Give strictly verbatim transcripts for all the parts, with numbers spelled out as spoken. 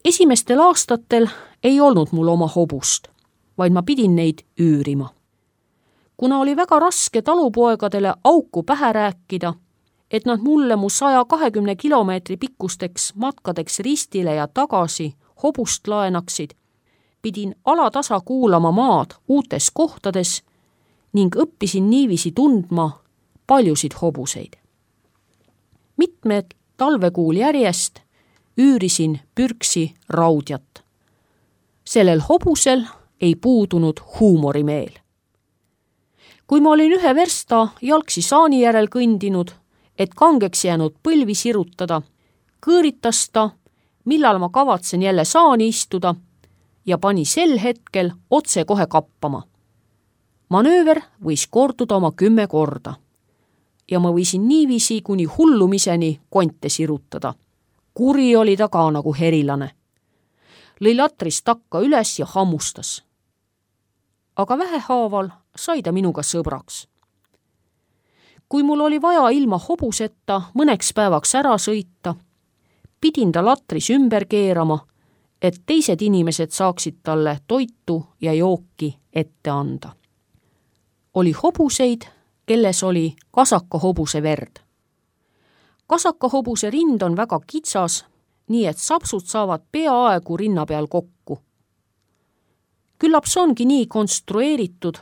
Esimestel aastatel ei olnud mul oma hobust, vaid ma pidin neid üürima. Kuna oli väga raske talupoegadele auku pähe rääkida, et nad mulle mu saja kahekümne kilomeetri pikkusteks matkadeks ristile ja tagasi hobust laenaksid, pidin alatasa kuulama maad uutes kohtades ning õppisin niiviisi tundma paljusid hobuseid. Mitmed talvekuul järjest üürisin pürksi raudjat. Sellel hobusel ei puudunud huumorimeel. Kui ma olin ühe versta jalgsi saani järel kõndinud, et kangeks jäänud põlvi sirutada, kõõritas ta, millal ma kavatsen jälle saani istuda ja pani sel hetkel otse kohe kappama. Manööver võis korduda oma kümme korda ja ma võisin niiviisi kuni hullumiseni konte sirutada. Kuri oli ta ka nagu herilane. Lõi latrist takka üles ja hammustas. Aga vähehaaval sai ta minuga sõbraks. Kui mul oli vaja ilma hobuseta mõneks päevaks ära sõita, pidin ta latris ümber keerama, et teised inimesed saaksid talle toitu ja jooki ette anda. Oli hobuseid, kelles oli kasakahobuse verd. Kasakahobuse rind on väga kitsas, nii et sapsud saavad peaaegu rinna peal kokku. Küllap see ongi nii konstrueeritud,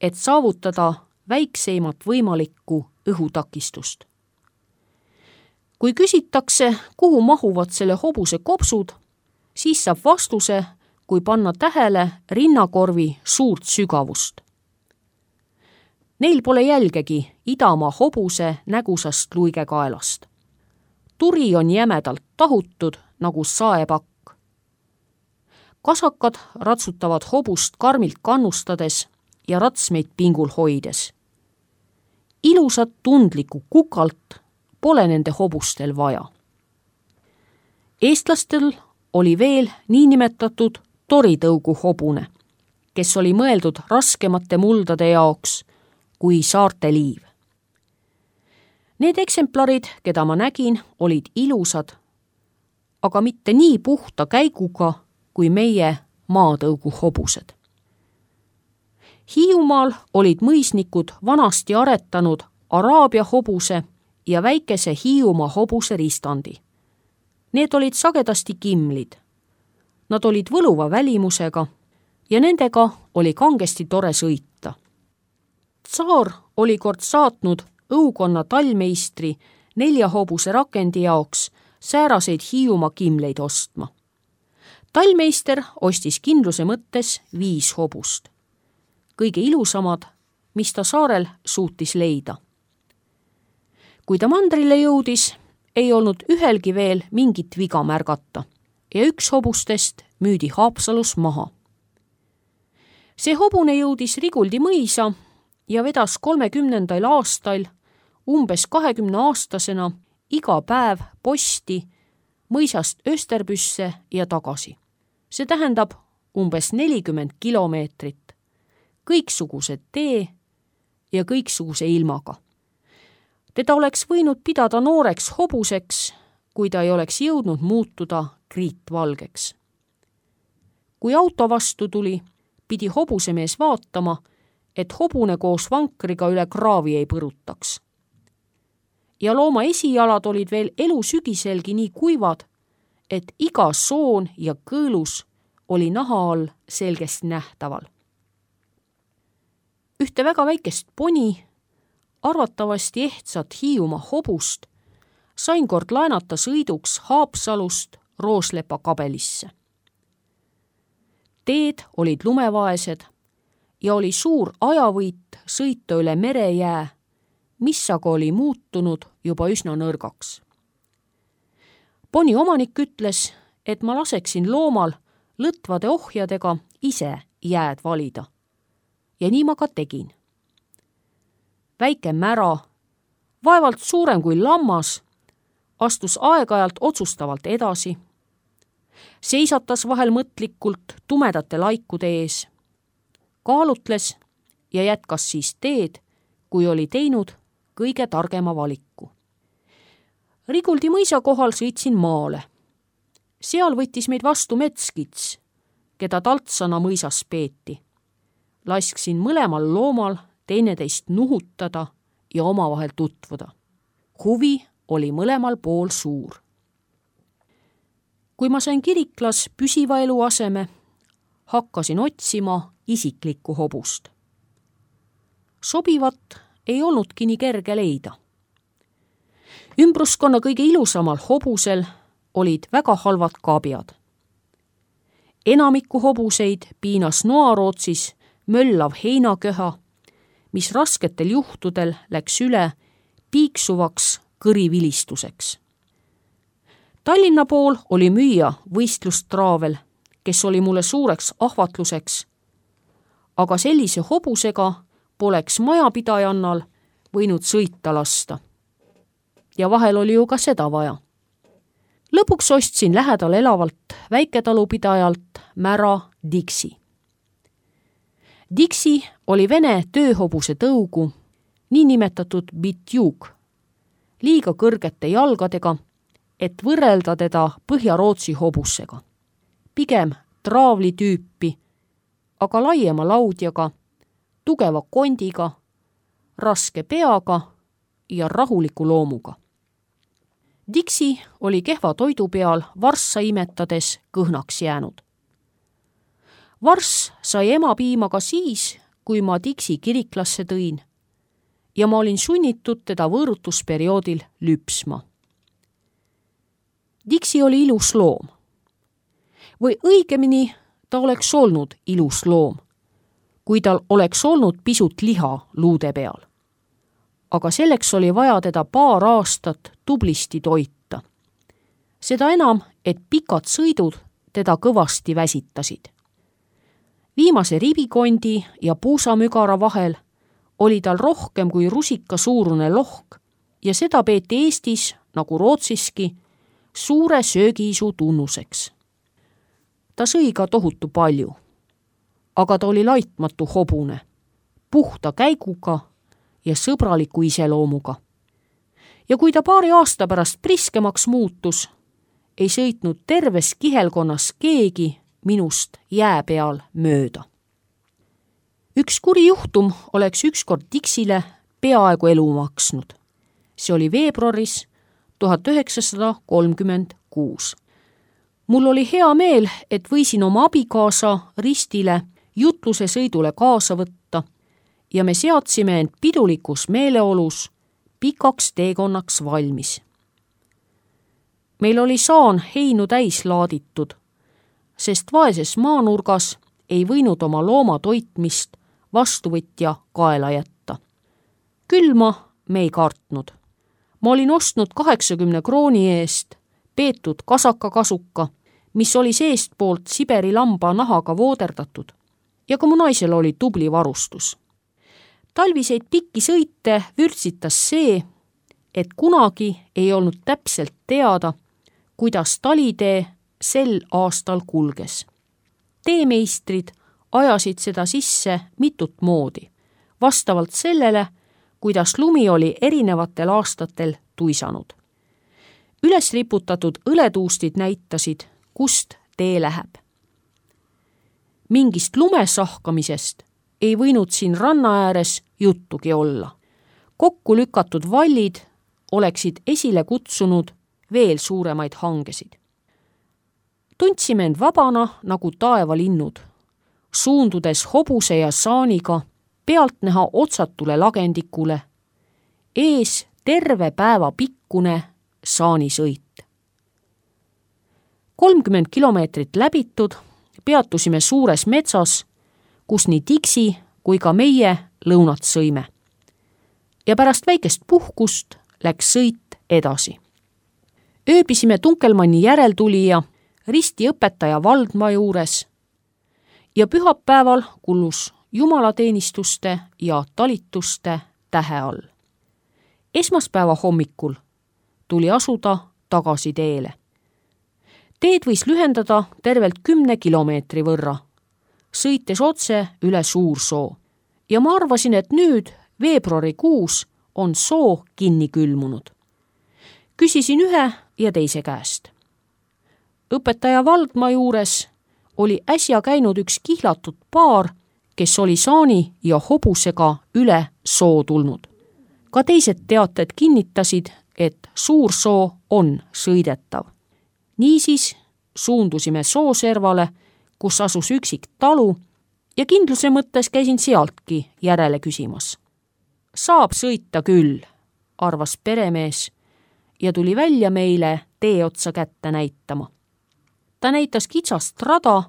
et saavutada väikseimat võimalikku õhutakistust. Kui küsitakse, kuhu mahuvad selle hobuse kopsud, siis saab vastuse, kui panna tähele rinnakorvi suurt sügavust. Neil pole jälgegi idamaa hobuse nägusast luigekaelast. Turi on jämedalt tahutud nagu saepakk. Kasakad ratsutavad hobust karmilt kannustades ja ratsmeid pingul hoides. Ilusat tundlikku kukalt pole nende hobustel vaja. Eestlastel oli veel niinimetatud toritõugu hobune, kes oli mõeldud raskemate muldade jaoks kui saarte liiv. Need eksemplarid, keda ma nägin, olid ilusad, aga mitte nii puhta käiguga kui meie maatõugu hobused. Hiiumaal olid mõisnikud vanasti aretanud Araabia hobuse ja väikese Hiiumaa hobuse ristandi. Need olid sagedasti kimlid. Nad olid võluva välimusega ja nendega oli kangesti tore sõita. Tsaar oli kord saatnud õukonna tallmeistri nelja hobuse rakendi jaoks sääraseid Hiiumaa kimleid ostma. Tallmeister ostis kindluse mõttes viis hobust. Kõige ilusamad, mis ta saarel suutis leida. Kui ta mandrile jõudis, ei olnud ühelgi veel mingit viga märgata ja üks hobustest müüdi Haapsalus maha. See hobune jõudis Riguldi mõisa ja vedas kolmekümnendal aastal umbes kahekümne aastasena iga päev posti mõisast Österbüsse ja tagasi. See tähendab umbes nelikümmend kilomeetrit, kõiksugused tee ja kõiksuguse ilmaga. Teda oleks võinud pidada nooreks hobuseks, kui ta ei oleks jõudnud muutuda kriitvalgeks. Kui auto vastu tuli, pidi hobusemees vaatama, et hobune koos vankriga üle kraavi ei põrutaks. Ja looma esijalad olid veel elu sügiselgi nii kuivad, et iga soon ja kõõlus oli naha all selgesti nähtaval. Ühte väga väikest poni, arvatavasti ehtsat Hiiumaa hobust, sain kord laenata sõiduks Haapsalust Rooslepa kabelisse. Teed olid lumevaesed ja oli suur ajavõit sõita üle merejää, mis aga oli muutunud juba üsna nõrgaks. Poni omanik ütles, et ma laseksin loomal lõtvade ohjadega ise jääd valida. Ja nii ma ka tegin. Väike mära, vaevalt suurem kui lammas, astus aeg-ajalt otsustavalt edasi, seisatas vahel mõtlikult tumedate laikude ees, kaalutles ja jätkas siis teed, kui oli teinud kõige targema valiku. Riguldi mõisa kohal sõitsin maale. Seal võttis meid vastu Metskits, keda Taltsana mõisas peeti. Lasksin mõlemal loomal teineteist nuhutada ja omavahel tutvuda. Huvi oli mõlemal pool suur. Kui ma sain Kiriklas püsiva elu aseme, hakkasin otsima isiklikku hobust. Sobivat ei olnudki nii kerge leida. Ümbruskonna kõige ilusamal hobusel olid väga halvad kaabjad. Enamiku hobuseid piinas Noarootsis möllav heinaköha, mis rasketel juhtudel läks üle piiksuvaks kõrivilistuseks. Tallinna pool oli müüa võistlustraavel, kes oli mulle suureks ahvatluseks, aga sellise hobusega poleks majapidajannal võinud sõita lasta. Ja vahel oli ju ka seda vaja. Lõpuks ostsin lähedal elavalt väiketalupidajalt mära Dixi. Dixi oli vene tööhobuse tõugu, niinimetatud bitjuk, liiga kõrgete jalgadega, et võrrelda teda Põhja-Rootsi hobusega. Pigem traavli tüüpi, aga laiema laudjaga, tugeva kondiga, raske peaga ja rahuliku loomuga. Dixi oli kehva toidu peal varssa imetades kõhnaks jäänud. Varss sai ema piima ka siis, kui ma Dixi Kiriklasse tõin ja ma olin sunnitud teda võõrutusperioodil lüpsma. Dixi oli ilus loom. Või õigemini ta oleks olnud ilus loom, kui tal oleks olnud pisut liha luude peal. Aga selleks oli vaja teda paar aastat tublisti toita. Seda enam, et pikad sõidud teda kõvasti väsitasid. Viimase ribikondi ja puusamügara vahel oli tal rohkem kui rusika suurune lohk ja seda peeti Eestis, nagu Rootsiski, suure söögiisu tunnuseks. Ta sõi ka tohutu palju, aga ta oli laitmatu hobune, puhta käiguga ja sõbraliku iseloomuga. Ja kui ta paari aasta pärast priskemaks muutus, ei sõitnud terves kihelkonnas keegi minust jää peal mööda. Üks kuri juhtum oleks ükskord Dixile peaaegu elu maksnud. See oli veebruaris tuhat üheksasada kolmkümmend kuus. Mul oli hea meel, et võisin oma abikaasa Ristile jutluse sõidule kaasa võtta ja me seadsime end pidulikus meeleolus pikaks teekonnaks valmis. Meil oli saan heinu täis laaditud, sest vaeses maanurgas ei võinud oma looma toitmist vastuvõtja kaela jätta. Külma me ei kartnud. Ma olin ostnud kaheksakümne krooni eest peetud kasakakasuka, mis oli seestpoolt Siberi lamba nahaga vooderdatud ja ka mu naisel oli tubli varustus. Talviseid pikki sõite vürtsitas see, et kunagi ei olnud täpselt teada, kuidas talitee sel aastal kulges. Teemeistrid ajasid seda sisse mitut moodi, vastavalt sellele, kuidas lumi oli erinevatel aastatel tuisanud. Üles riputatud õletuustid näitasid, kust tee läheb. Mingist lumesahkamisest ei võinud siin ranna ääres juttugi olla. Kokku lükatud vallid oleksid esile kutsunud veel suuremaid hangesid. Tundsime end vabana nagu taevalinnud, suundudes hobuse ja saaniga pealtnäha otsatule lagendikule, ees terve päeva pikkune saanisõit. kolmkümmend kilomeetrit läbitud peatusime suures metsas, kus nii Dixi kui ka meie lõunat sõime. Ja pärast väikest puhkust läks sõit edasi. Ööbisime Tunkelmanni järeltulija Risti õpetaja Valdma juures ja pühapäeval kullus jumalateenistuste ja talituste tähe all. Esmaspäeva hommikul tuli asuda tagasi teele. Teed võis lühendada tervelt kümne kilomeetri võrra, sõites otse üle Suursoo. Ja ma arvasin, et nüüd veebruarikuus on soo kinni külmunud. Küsisin ühe ja teise käest. õpetaja Valdma juures oli äsja käinud üks kihlatud paar, kes oli saani ja hobusega üle soo tulnud. Ka teised teated kinnitasid, et suur soo on sõidetav. Niisiis suundusime sooservale, kus asus üksik talu ja kindluse mõttes käisin sealtki järele küsimas. Saab sõita küll, arvas peremees ja tuli välja meile tee otsa kätte näitama. Ta näitas kitsast rada,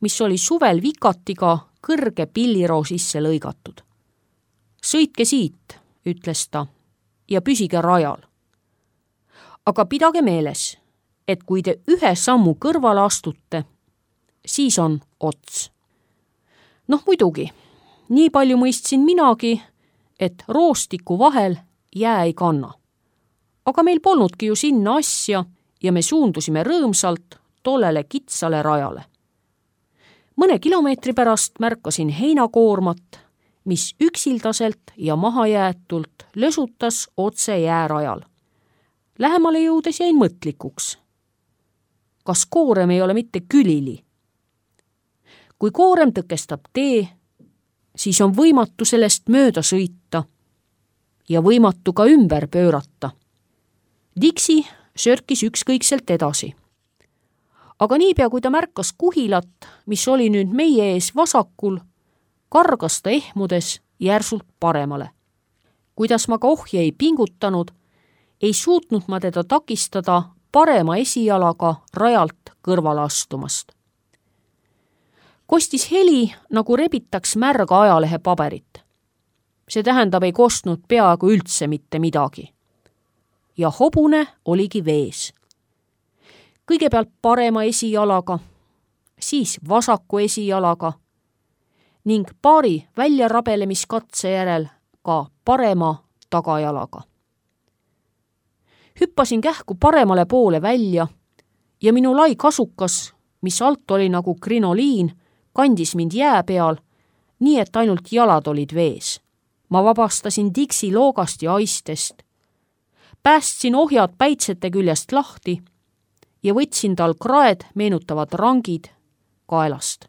mis oli suvel vikatiga kõrge pilliroo sisse lõigatud. Sõitke siit, ütles ta, ja püsige rajal. Aga pidage meeles, et kui te ühe sammu kõrvale astute, siis on ots. Noh muidugi, nii palju mõistsin minagi, et roostiku vahel jää ei kanna. Aga meil polnudki ju sinna asja ja me suundusime rõõmsalt tollele kitsale rajale. Mõne kilomeetri pärast märkasin heinakoormat, mis üksildaselt ja mahajäetult lösutas otse jäärajal. Lähemale jõudes jäin mõtlikuks. Kas koorem ei ole mitte külili? Kui koorem tõkestab tee, siis on võimatu sellest mööda sõita ja võimatu ka ümber pöörata. Dixi sörkis ükskõikselt edasi. Aga niipea, kui ta märkas kuhilat, mis oli nüüd meie ees vasakul, kargas ta ehmudes järsult paremale. Kuidas ma ka ohje ei pingutanud, ei suutnud ma teda takistada parema esijalaga rajalt kõrvale astumast. Kostis heli, nagu rebitaks märga ajalehe paberit. See tähendab, ei kostnud peaaegu üldse mitte midagi. Ja hobune oligi vees. Kõigepealt parema esijalaga, siis vasaku esijalaga ning paari väljarabelemiskatse järel ka parema tagajalaga. Hüppasin kähku paremale poole välja ja minu lai kasukas, mis alt oli nagu krinoliin, kandis mind jää peal, nii et ainult jalad olid vees. Ma vabastasin Dixi loogast ja aistest, päästsin ohjad päitsete küljest lahti ja võtsin tal kraed meenutavad rangid kaelast.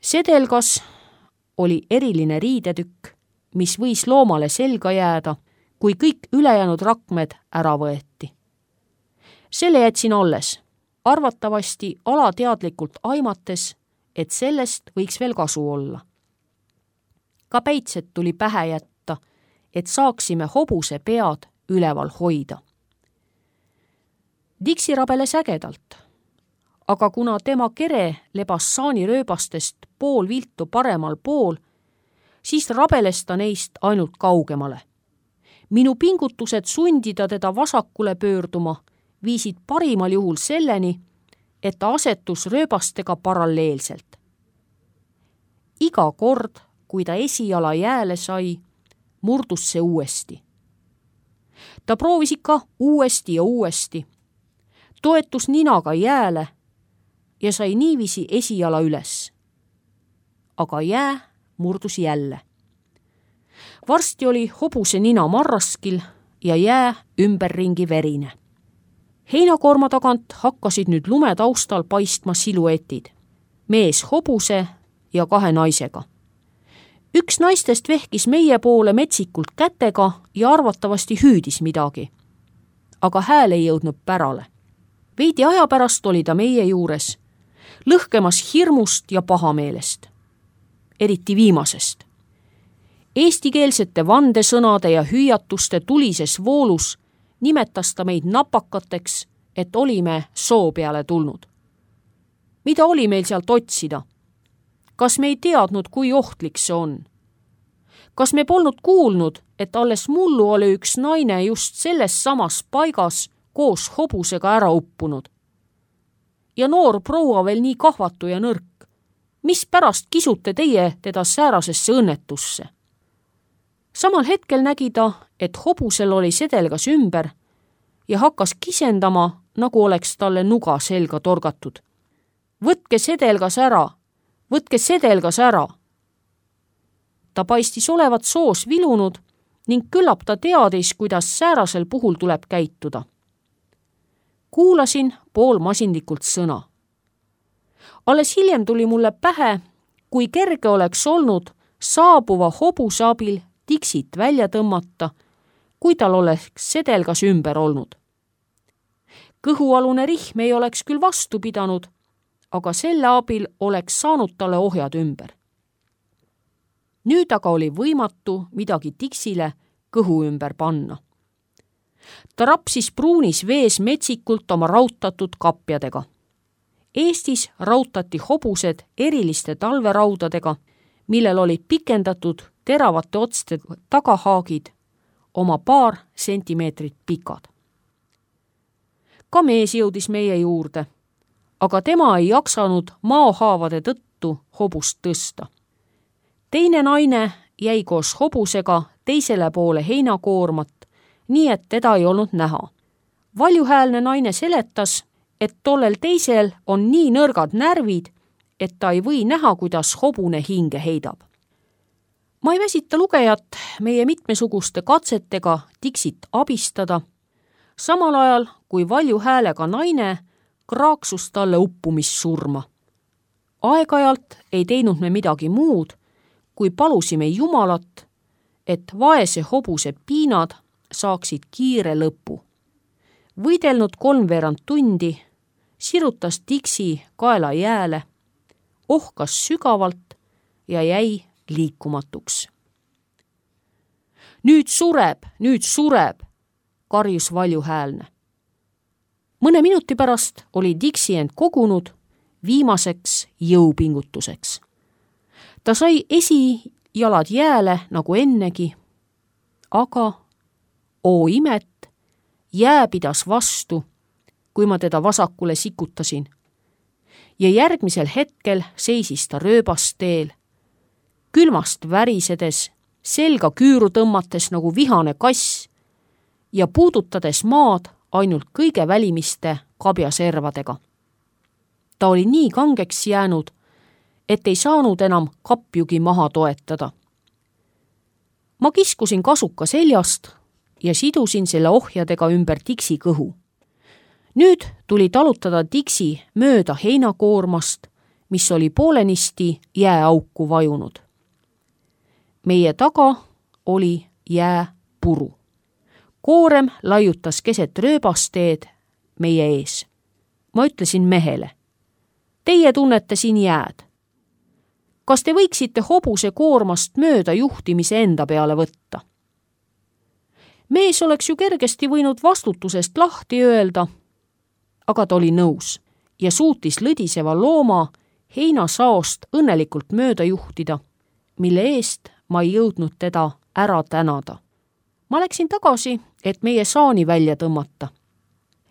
Sedelgas oli eriline riidetükk, mis võis loomale selga jääda, kui kõik ülejäänud rakmed ära võeti. Selle jätsin alles, arvatavasti alateadlikult aimates, et sellest võiks veel kasu olla. Ka päitsed tuli pähe jätta, et saaksime hobuse pead üleval hoida. Dixi rabeles ägedalt, aga kuna tema kere lebas saanirööbastest pool viltu paremal pool, siis rabeles ta neist ainult kaugemale. Minu pingutused sundida teda vasakule pöörduma viisid parimal juhul selleni, et ta asetus rööbastega paralleelselt. Iga kord, kui ta esijala jääle sai, murdus see uuesti. Ta proovis ikka uuesti ja uuesti, toetus ninaga jääle ja sai niiviisi esijala üles. Aga jää murdus jälle. Varsti oli hobuse nina marraskil ja jää ümberringi verine. Heinakoorma tagant hakkasid nüüd lume taustal paistma siluetid. Mees hobuse ja kahe naisega. Üks naistest vehkis meie poole metsikult kätega ja arvatavasti hüüdis midagi. Aga hääl ei jõudnud pärale. Veidi aja pärast oli ta meie juures, lõhkemas hirmust ja pahameelest. Eriti viimasest. Eestikeelsete vandesõnade ja hüüatuste tulises voolus nimetas ta meid napakateks, et olime soo peale tulnud. Mida oli meil sealt otsida? Kas me ei teadnud, kui ohtlik see on? Kas me polnud kuulnud, et alles mullu oli üks naine just selles samas paigas koos hobusega ära uppunud? Ja noor proua veel nii kahvatu ja nõrk. Mis pärast kisute teie teda säärasesse õnnetusse? Samal hetkel nägi ta, et hobusel oli sedelgas ümber ja hakkas kisendama, nagu oleks talle nuga selga torgatud. Võtke sedelgas ära, võtke sedelgas ära. Ta paistis olevat soos vilunud ning küllap ta teadis, kuidas säärasel puhul tuleb käituda. kuulasin poolmasinlikult sõna. Alles hiljem tuli mulle pähe, kui kerge oleks olnud saabuva hobuse abil Dixit välja tõmmata, kui tal oleks sedelgas ümber olnud. Kõhualune rihm ei oleks küll vastu pidanud, aga selle abil oleks saanud talle ohjad ümber. Nüüd aga oli võimatu midagi Dixile kõhu ümber panna. Ta rapsis pruunis vees metsikult oma rautatud kapjadega. Eestis rautati hobused eriliste talveraudadega, millel olid pikendatud teravate otste tagahaagid, oma paar sentimeetrit pikad. Ka mees jõudis meie juurde, aga tema ei jaksanud maohaavade tõttu hobust tõsta. Teine naine jäi koos hobusega teisele poole heinakoormat, nii et teda ei olnud näha. Valjuhäälne naine seletas, et tollel teisel on nii nõrgad närvid, et ta ei või näha, kuidas hobune hinge heidab. Ma ei väsita lugejat meie mitmesuguste katsetega Dixit abistada, samal ajal kui valjuhäälega naine kraaksus talle uppumissurma. Aeg-ajalt ei teinud me midagi muud, kui palusime Jumalat, et vaese hobuse piinad saaksid kiire lõpu. Võidelnud kolmveerand tundi, sirutas Dixi kaela jääle, ohkas sügavalt ja jäi liikumatuks. Nüüd sureb, nüüd sureb, karjus valjuhäälne. Mõne minuti pärast oli Dixi end kogunud viimaseks jõupingutuseks. Ta sai esijalad jääle nagu ennegi, aga oo imet, jää pidas vastu, kui ma teda vasakule sikutasin. Ja järgmisel hetkel seisis ta rööbasteel, külmast värisedes, selga küüru tõmmates nagu vihane kass ja puudutades maad ainult kõige välimiste kabjaservadega. Ta oli nii kangeks jäänud, et ei saanud enam kapjugi maha toetada. Ma kiskusin kasuka seljast ja sidusin selle ohjadega ümber Dixi kõhu. Nüüd tuli talutada Dixi mööda heinakoormast, mis oli poolenisti jääauku vajunud. Meie taga oli jääpuru. Koorem laiutas keset rööbasteed meie ees. Ma ütlesin mehele, teie tunnete siin jääd. Kas te võiksite hobuse koormast mööda juhtimise enda peale võtta? Mees oleks ju kergesti võinud vastutusest lahti öelda, aga ta oli nõus ja suutis lõdiseva looma heinasaost õnnelikult mööda juhtida, mille eest ma ei jõudnud teda ära tänada. Ma läksin tagasi, et meie saani välja tõmmata.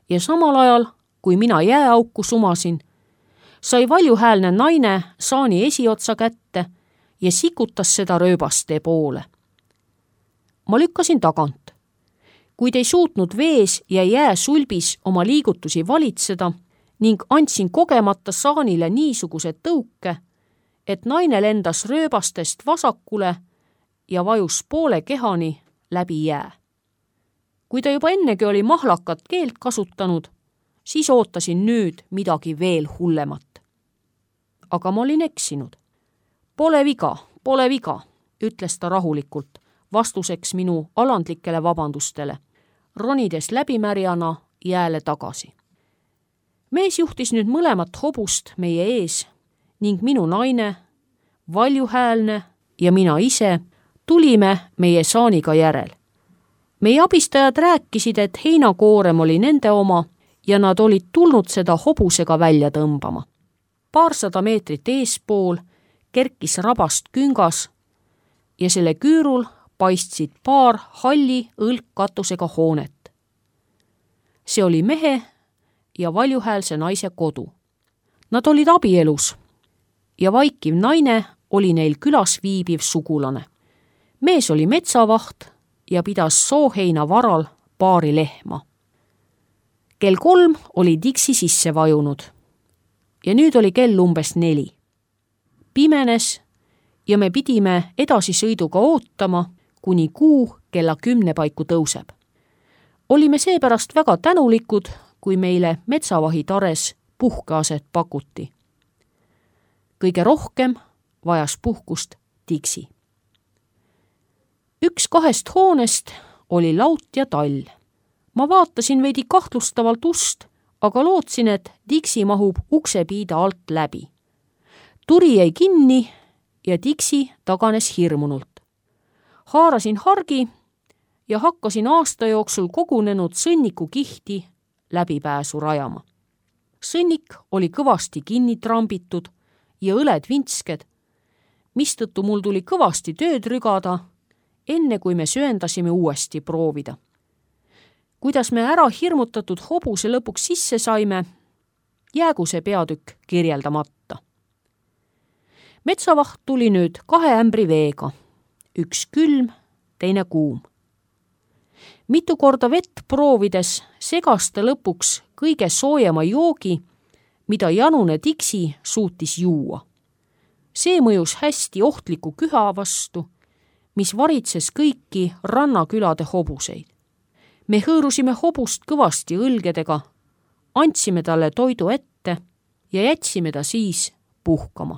Ja samal ajal, kui mina jääauku sumasin, sai valjuhäälne naine saani esiotsa kätte ja sikutas seda rööbastee poole. Ma lükkasin tagant. Kuid ei suutnud vees ja jääsulbis oma liigutusi valitseda ning andsin kogemata saanile niisuguse tõuke, et naine lendas rööbastest vasakule ja vajus poole kehani läbi jää. Kui ta juba ennegi oli mahlakat keelt kasutanud, siis ootasin nüüd midagi veel hullemat. Aga ma olin eksinud. Pole viga, pole viga, ütles ta rahulikult, vastuseks minu alandlikele vabandustele, ronides läbimärjana jääle tagasi. Mees juhtis nüüd mõlemat hobust meie ees ning minu naine, valjuhäälne ja mina ise tulime meie saaniga järel. Meie abistajad rääkisid, et heinakoorem oli nende oma ja nad olid tulnud seda hobusega välja tõmbama. Paarsada meetrit eespool kerkis rabast küngas ja selle küürul paistsid paar halli õlgkatusega hoonet. See oli mehe ja valjuhäälse naise kodu. Nad olid abielus ja vaikiv naine oli neil külas viibiv sugulane. Mees oli metsavaht ja pidas sooheina varal paari lehma. Kell kolm oli Dixi sisse vajunud ja nüüd oli kell umbes neli. Pimenes ja me pidime edasisõiduga ootama, kuni kuu kella kümne paiku tõuseb. Olime seepärast väga tänulikud, kui meile metsavahitares puhkeaset pakuti. Kõige rohkem vajas puhkust Dixi. Üks kahest hoonest oli laut ja tall. Ma vaatasin veidi kahtlustavalt ust, aga lootsin, et Dixi mahub uksepiida alt läbi. Turi jäi kinni ja Dixi taganes hirmunult. Haarasin hargi ja hakkasin aasta jooksul kogunenud sõnniku kihti läbipääsu rajama. Sõnnik oli kõvasti kinni trambitud ja õled vintsked, mistõttu mul tuli kõvasti tööd rügada, enne kui me sööndasime uuesti proovida. Kuidas me ära hirmutatud hobuse lõpuks sisse saime, jäägu see peatükk kirjeldamata. Metsavaht tuli nüüd kahe ämbri veega, üks külm, teine kuum. Mitu korda vett proovides segas ta lõpuks kõige soojema joogi, mida janune Dixi suutis juua. See mõjus hästi ohtliku küha vastu, mis varitses kõiki rannakülade hobuseid. Me hõõrusime hobust kõvasti õlgedega, andsime talle toidu ette ja jätsime ta siis puhkama.